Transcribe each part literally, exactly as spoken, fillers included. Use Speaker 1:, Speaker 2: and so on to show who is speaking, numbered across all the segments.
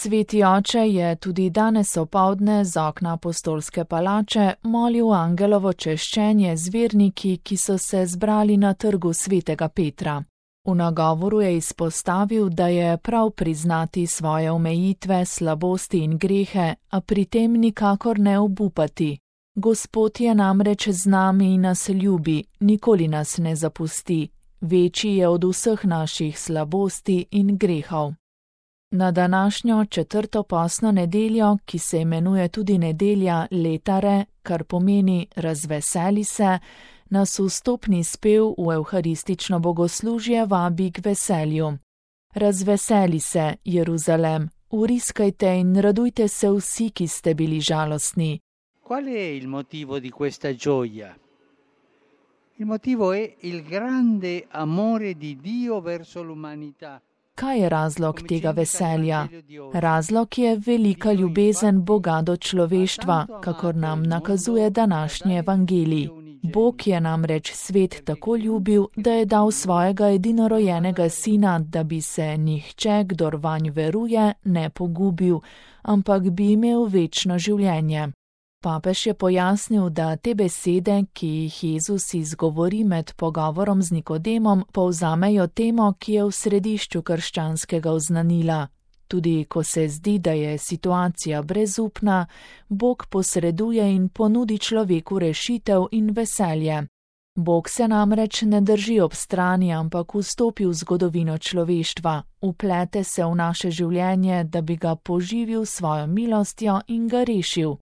Speaker 1: Sveti oče je tudi danes opoldne z okna apostolske palače molil angelovo češčenje z verniki, ki so se zbrali na trgu svetega Petra. V nagovoru je izpostavil, da je prav priznati svoje omejitve, slabosti in grehe, a pri tem nikakor ne obupati. Gospod je namreč z nami in nas ljubi, nikoli nas ne zapusti, večji je od vseh naših slabosti in grehov. Na današnjo četrto postno nedeljo, ki se imenuje tudi nedelja Letare, kar pomeni razveseli se, nas vstopni spev v evharistično bogoslužje vabi k veselju. Razveseli se, Jeruzalem, vriskajte in radujte se vsi, ki ste bili žalostni.
Speaker 2: Qual è il motivo di questa gioia? Il motivo è il grande amore di Dio verso l'umanità.
Speaker 1: Kaj je razlog tega veselja? Razlog je velika ljubezen Boga do človeštva, kakor nam nakazuje današnji evangelij. Bog je namreč svet tako ljubil, da je dal svojega edinorojenega sina, da bi se nihče, kdor vanj veruje, ne pogubil, ampak bi imel večno življenje. Papež je pojasnil, da te besede, ki jih Jezus izgovori med pogovorom z Nikodemom, povzamejo temo, ki je v središču krščanskega oznanila. Tudi ko se zdi, da je situacija brezupna, Bog posreduje in ponudi človeku rešitev in veselje. Bog se namreč ne drži ob strani, ampak vstopi v zgodovino človeštva, vplete se v naše življenje, da bi ga poživil svojo milostjo in ga rešil.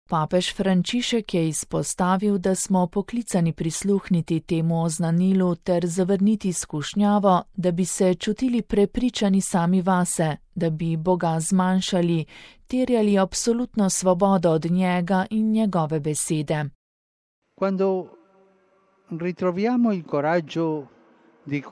Speaker 1: Papež Frančišek je izpostavil, da smo poklicani prisluhniti temu oznanilu ter zavrniti skušnjavo, da bi se čutili prepričani sami vase, da bi Boga zmanjšali, terjali absolutno svobodo od njega in njegove besede.
Speaker 2: Quando ritroviamo il coraggio di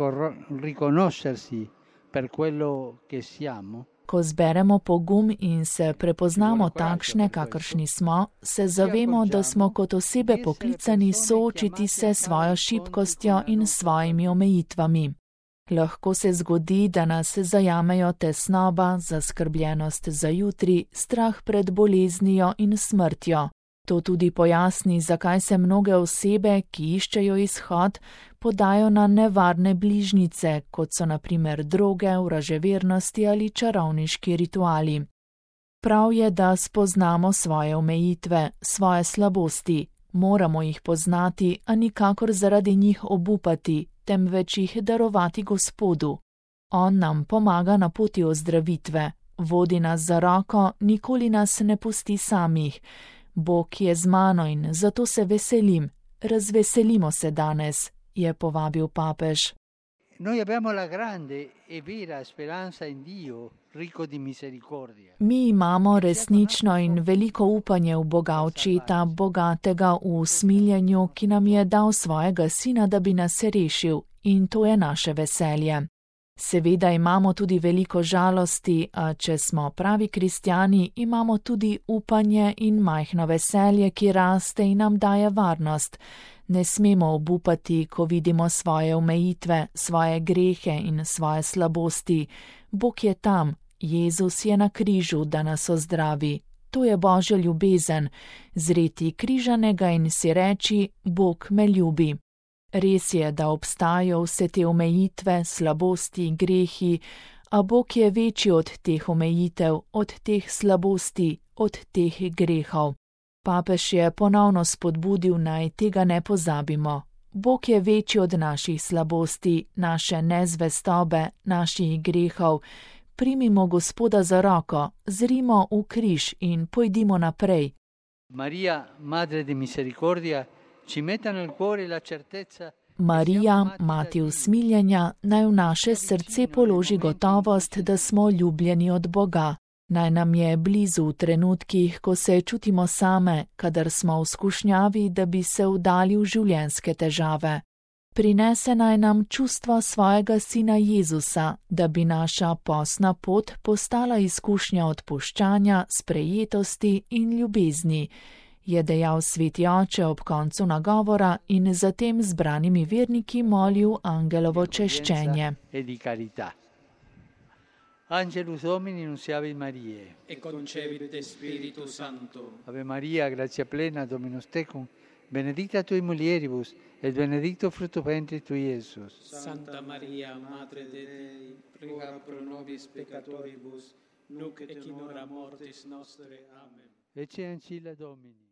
Speaker 2: riconoscersi per quello che siamo,
Speaker 1: Ko zberemo pogum in se prepoznamo takšne, kakršni smo, se zavemo, da smo kot osebe poklicani soočiti se s svojo šibkostjo in svojimi omejitvami. Lahko se zgodi, da nas zajamejo tesnoba, zaskrbljenost za jutri, strah pred boleznijo in smrtjo. To tudi pojasni, zakaj se mnoge osebe, ki iščejo izhod, podajo na nevarne bližnjice, kot so na primer droge, vraževernosti ali čarovniški rituali. Prav je, da spoznamo svoje omejitve, svoje slabosti. Moramo jih poznati, a nikakor zaradi njih obupati, temveč jih darovati Gospodu. On nam pomaga na poti ozdravitve, vodi nas za roko, nikoli nas ne pusti samih. Bog je z mano in zato se veselim. Razveselimo se danes, je povabil papež. Mi imamo resnično in veliko upanje v Boga Očeta, bogatega v usmiljenju, ki nam je dal svojega sina, da bi nas rešil, in to je naše veselje. Seveda imamo tudi veliko žalosti, a če smo pravi kristjani, imamo tudi upanje in majhno veselje, ki raste in nam daje varnost. Ne smemo obupati, ko vidimo svoje omejitve, svoje grehe in svoje slabosti. Bog je tam, Jezus je na križu, da nas ozdravi. To je Božja ljubezen, zreti križanega in si reči, Bog me ljubi. Res je, da obstajajo vse te omejitve, slabosti, grehi, a Bog je večji od teh omejitev, od teh slabosti, od teh grehov. Papež je ponovno spodbudil, naj tega ne pozabimo. Bog je večji od naših slabosti, naše nezvestobe, naših grehov. Primimo Gospoda za roko, zrimo v križ in pojdimo naprej.
Speaker 2: Marija, Madre di Misericordia, ci metta nel cuore la certezza.
Speaker 1: Marija, mati usmiljenja, naj v naše srce položi gotovost, da smo ljubljeni od Boga. Naj nam je blizu v trenutkih, ko se čutimo same, kadar smo v skušnjavi, da bi se vdali v življenjske težave. Prinese naj nam čustva svojega sina Jezusa, da bi naša postna pot postala izkušnja odpuščanja, sprejetosti in ljubezni, je dejal sveti oče ob koncu nagovora in zatem zbranimi verniki molil angelovo češčenje.
Speaker 2: Angelus Domini nunciavit Mariae.
Speaker 3: E concepit Spiritus Sancto.
Speaker 2: Ave Maria, gratia plena, Dominus tecum, benedicta tui mulieribus, et benedictus fructus ventris tui, Iesus.
Speaker 3: Santa Maria, Madre Dei, prega pro nobis peccatoribus, nunc et in hora mortis nostre. Amen.
Speaker 2: Ecce ancilla Domini.